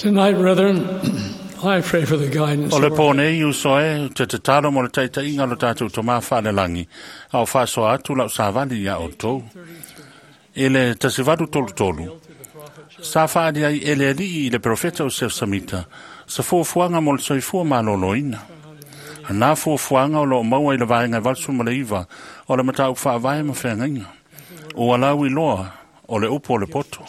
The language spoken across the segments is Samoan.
Tonight, brethren, I pray for the guidance O le of pō our nei uso e te tatalo mo le taitaiga o lo tatou Tamā Faalelagi, a o faasoa atu lau savali iā outou. I le 1833, sa faaali ai e le Alii i le perofeta o Sef Samita sa fuafuaga mo le soifua malōlōina. Na fuafuaga o loo maua i le vaega e 89 o le mataupu faavae ma feagaiga. Ua lau iloa o le upu o le poto.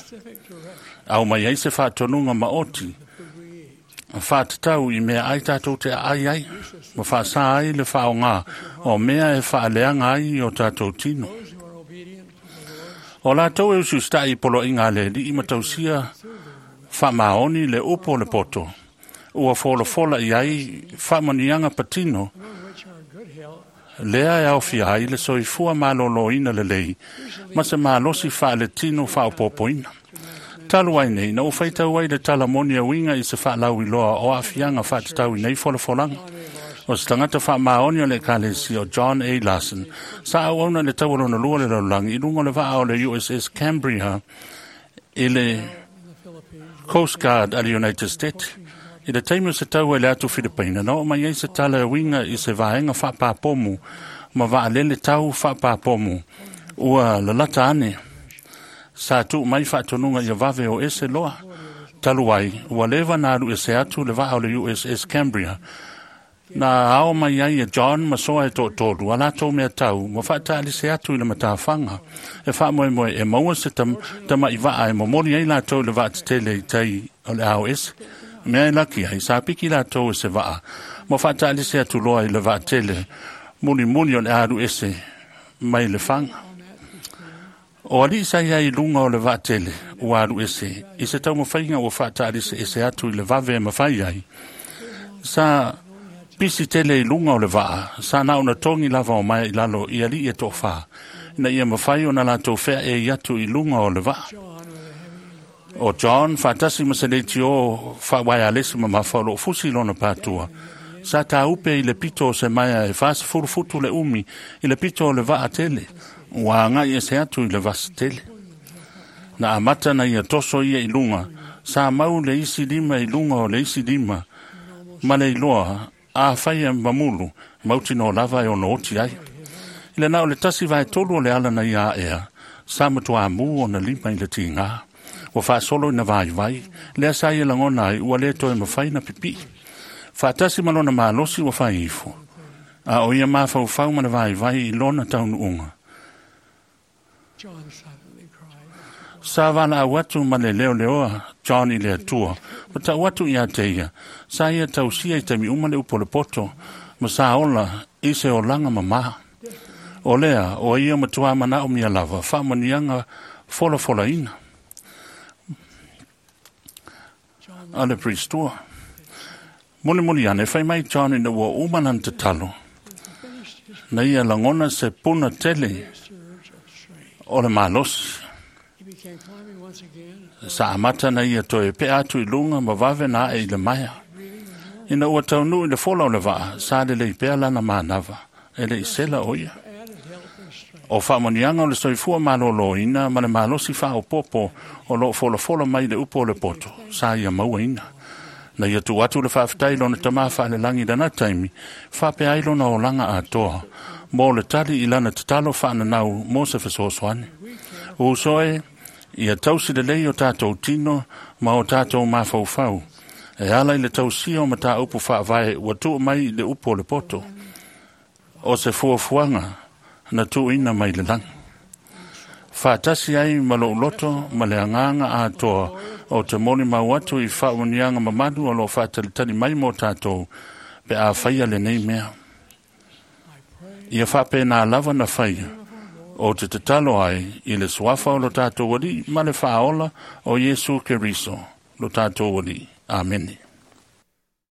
Au mai ai se faatonuga maoti faatatau i mea ai tatou te aai ai ma faasā ai le faaaogā o mea e faaleaga ai i o tatou tino. O latou e usiusitaʻi i poloaiga a le Alii ma tausia faamaoni le upu o le poto, ua folafola i ai faamanuiaga patino lea e aofia ai le soifua malōlōina lelei ma se malosi faaletino faaopoopoina. Talu ai nei, na ou faitau ai le tala moni e uiga i se faalauiloa o aafiaga faatatau i nei folafolaga. O se tagata faamaoni o le ekalesia o John A. Larson, sa auauna i le taualona lua o le lalolagi i luga o le vaa o le USS Cambria i le Coast Guard a le United States. I le taimi o se taua i le atu Filipaina, na oo mai ai se tala e uiga i se vaega faapapomu ma vaalele tau faapapomu ua lalata ane. Sa tuu mai faatonuga ia vave o ese loa. Talu ai, ua leva na alu ese atu le vaa o le USS Cambria. Na ao mai ai e John ma soa e toatolu a latou mea tau ma faataalise atu i le matafaga e faamoemoe e maua se tamaʻi vaa e momoli ai latou i le vaatetele i tai o le ao ese. Mea e laki ai, sa piki latou e se vaa ma faataalise atu loa i le vaatele mulimuli o le alu ese mai le faga. O alii sa iai i luga o le vaatele ua alu ese i se taumafaiga ua faataalise ese atu i le vave e mafai ai. Sa pisi tele i luga o le vaa, sa na ona togi lava o maea i lalo i alii e toafā, ina ia mafai ona latou feaei atu i luga o le vaa. O John faatasi ma se leitio faauaialesi mamafa o loo fusi i lona patua, sa tāupe i le pito o se maea e 40 futu le umi i le pito o le vaa tele, ua agai ese atu i le vasi tele. Na amata na ia toso ia i luga, sa mau le isi lima i luga o le isi lima, ma le iloa a faia mamulu, mautinoa lava e ono oti ai. I le na o le 1/3 o le ala na ia aea, sa matuā mū ona lima i le tigā. Ua faasolo ina vaivai, lea sa ia lagona ai ua lē toe mafai na pipii. Faatasi ma lona malosi ua fai ifo, a o ia mafaufau ma le vaivai i lona taunuuga. John silently cried. Sa valaau atu ma le leoleoa John i le Atua, ma tau atu iā te ia, sa ia tausia i taimi uma le upu o le poto, ma sa ola i se olaga mamā. O lea, o ia matuā manaomia lava, faamanuiaga folafolaina a le Priestua. Mulimuli ane, fai mai John ina ua uma lana tatalo, na ia lagona se puna tele Surge of strength. o le malosi. He began climbing once again, Sa amata na ia toe pea atu i luga ma vave na ae i le maea. Ina ua taunuu i le fola o le vaa, sa lelei pea lana manava, e le i sela o ia. added help and strength. O faamanuiaga o le soifua malōlōina ma le malosi faaopoopo o loo folafola mai le upu o le poto, sa ia mauaina. Na ia tuu atu le faafetai i lona Tamā Faalelagi i lana taimi, faapea ai lona olaga atoa, mo le tali i lana tatalo faananau mo se fesoasoani. Uso e, ia tausi lelei o tatou tino ma o tatou mafaufau, e ala i le tausia o mataupu faavae ua tuu mai i le upu o le poto, o se fuafuaga na tuuina mai le lagi. Faatasi ai ma lou loto ma le agaga atoa o te molimau atu i faamanuiaga mamalu o loo faatalitali mai mo tatou pe a faia lenei mea. Ia faapena lava na faia o te tatalo ai i le suafa o lo tatou Alii ma le faaola o Iesu Keriso lo tatou Alii. Amene.